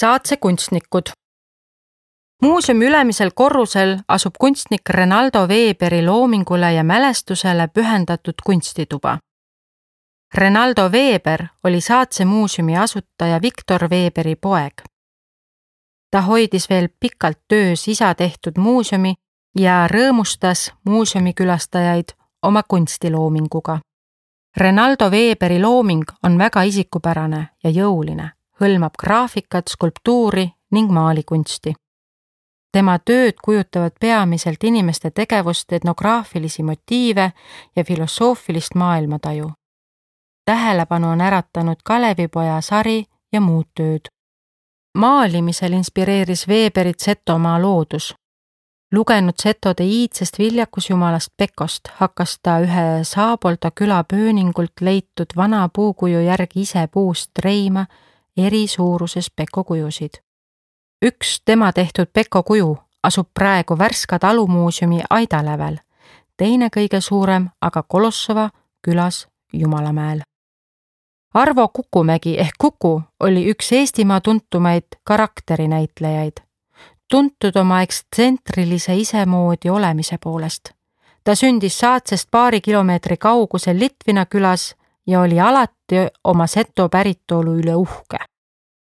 Saatse kunstnikud. Muuseumi ülemisel korrusel asub kunstnik Renaldo Weberi loomingule ja mälestusele pühendatud kunstituba. Renaldo Weber oli Saatse muuseumi asutaja Victor Weberi poeg. Ta hoidis veel pikalt töös isa tehtud muuseumi ja rõõmustas muuseumikülastajaid oma kunstiloominguga. Renaldo Weberi looming on väga isikupärane ja jõuline, hõlmab graafikat, skulptuuri ning maalikunsti. Tema tööd kujutavad peamiselt inimeste tegevust, etnograafilisi motiive ja filosoofilist maailmataju. Tähelepanu on äratanud Kalevipoja sari ja muud tööd. Maalimisel inspireeris Weberit Setomaa loodus. Lugenud setode iidsest viljakusjumalast Pekost, hakkas ta ühe Saapolta küla pööningult leitud vana puukuju järgi ise puust reima eri suuruses Peko kujusid. Üks tema tehtud Peko kuju asub praegu Värska talumuuseumi aidalävel, teine kõige suurem aga Kolossova külas Jumalamäel. Arvo Kukumägi ehk Kuku oli üks Eestimaa tuntumaid karakterinäitlejaid, tuntud oma ekstsentriilise isemoodi olemise poolest. Ta sündis Saatsest paari kilomeetri kaugusel Litvina külas ja oli alati oma seto päritolu üle uhke.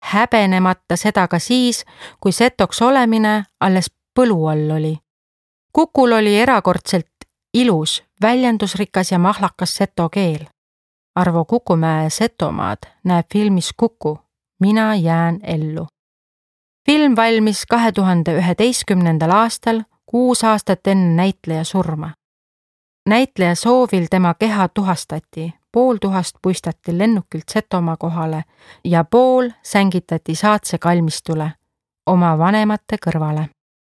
Häbenemata seda ka siis, kui setoks olemine alles põlu all oli. Kukul oli erakordselt ilus, väljendusrikas ja mahlakas seto keel. Arvo Kukumäe Setomaad näeb filmis Kuku, Mina jään ellu. Film valmis 2011. aastal, 6 aastat enne näitleja surma. Näitleja soovil tema keha tuhastati, pool tuhast puistati lennukilt Setomaa kohale ja pool sängitati Saatse kalmistule oma vanemate kõrvale.